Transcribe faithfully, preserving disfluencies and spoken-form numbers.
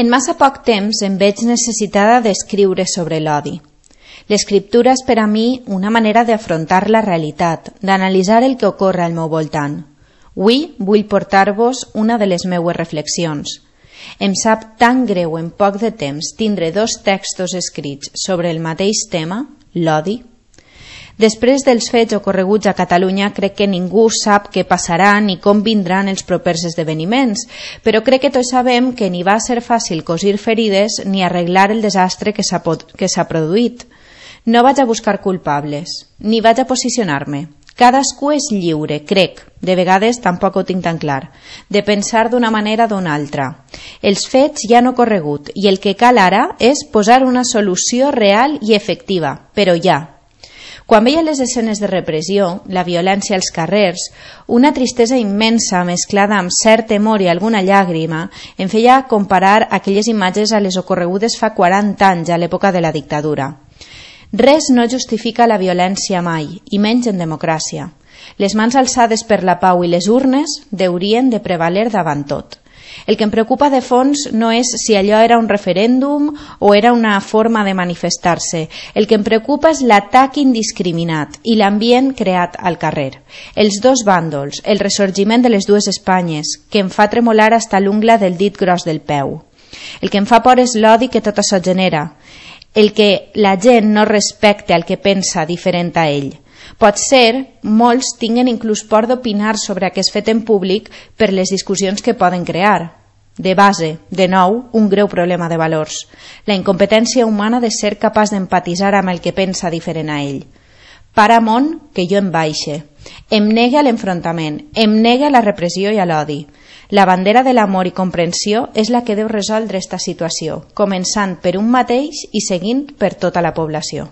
En massa poc temps em veig necessitada d'escriure sobre l'odi. L'escriptura és per a mi una manera d'afrontar la realitat, d'analitzar el que ocorre al meu voltant. Avui vull portar-vos una de les meues reflexions. Em sap tan greu en poc de temps tindre dos textos escrits sobre el mateix tema, l'odi. Després dels fets ocorreguts a Catalunya, crec que ningú sap què passarà ni com vindran els propers esdeveniments, però crec que tots sabem que ni va ser fàcil cosir ferides ni arreglar el desastre que s'ha que s'ha produït. No vaig a buscar culpables, ni vaig a posicionar-me. Cadascú és lliure, crec, de vegades tampoc ho tinc tan clar, de pensar d'una manera o d'una altra. Els fets ja han ocorregut i el que cal ara és posar una solució real i efectiva, però ja. Quan veia les escenes de repressió, la violència als carrers, una tristesa immensa mesclada amb cert temor i alguna llàgrima em feia comparar aquelles imatges a les ocorregudes fa quaranta anys a l'època de la dictadura. Res no justifica la violència mai, i menys en democràcia. Les mans alçades per la pau i les urnes deurien de prevaler davant tot. El que em preocupa de fons no és si allò era un referèndum o era una forma de manifestar-se. El que em preocupa és l'atac indiscriminat i l'ambient creat al carrer. Els dos bàndols, el ressorgiment de les dues Espanyes, que em fa tremolar hasta l'ungla del dit gros del peu. El que em fa por és l'odi que tot això genera. El que la gent no respecte al que pensa diferent a ell. Pot ser, molts tinguen inclús por d'opinar sobre aquest fet en públic per les discussions que poden crear. De base, de nou, un greu problema de valors. La incompetència humana de ser capaç d'empatitzar amb el que pensa diferent a ell. Paramont que jo em baixe. Em negue a l'enfrontament, em negue a la repressió i a l'odi. La bandera de l'amor i comprensió és la que deu resoldre esta situació, començant per un mateix i seguint per tota la població.